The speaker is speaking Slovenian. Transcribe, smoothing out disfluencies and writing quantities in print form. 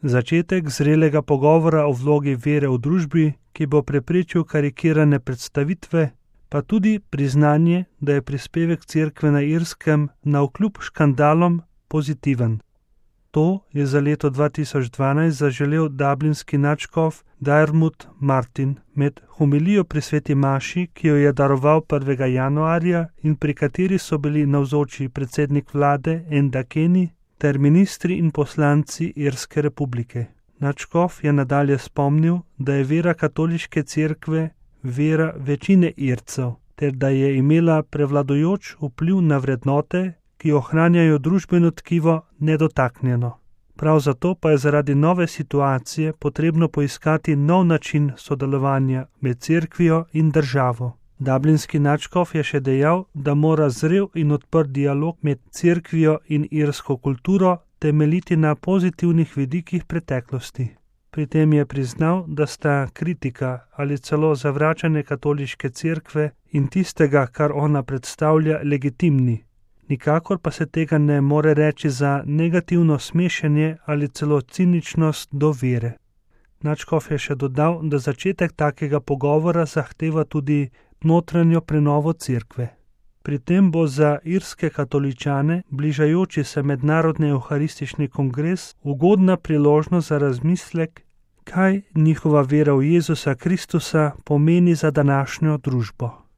Začetek zrelega pogovora o vlogi vere v družbi, ki bo preprečil karikirane predstavitve, pa tudi priznanje, da je prispevek cerkve na Irskem navkljub škandalom pozitiven. To je za leto 2012 zaželel dublinski nadškof Diarmuid Martin med homilijo pri sveti maši, ki jo je daroval 1. januarja in pri kateri so bili navzoči predsednik vlade Enda Kenny ter ministri in poslanci Irske republike. Nadškof je nadalje spomnil, da je vera katoliške cerkve vera večine Ircev, ter da je imela prevladujoč vpliv na vrednote, ki ohranjajo družbeno tkivo nedotaknjeno. Prav zato pa je zaradi nove situacije potrebno poiskati nov način sodelovanja med cerkvijo in državo. Dublinski nadškof je še dejal, da mora zrel in odprt dialog med cerkvijo in irsko kulturo temeljiti na pozitivnih vidikih preteklosti. Pri tem je priznal, da sta kritika ali celo zavračanje katoliške cerkve in tistega, kar ona predstavlja, legitimni. Nikakor pa se tega ne more reči za negativno smešenje ali celo ciničnost do vere. Nadškof je še dodal, da začetek takega pogovora zahteva tudi notranjo prenovo cerkve. Pri tem bo za irske katoličane bližajoči se mednarodni evharistični kongres ugodna priložnost za razmislek, kaj njihova vera v Jezusa Kristusa pomeni za današnjo družbo.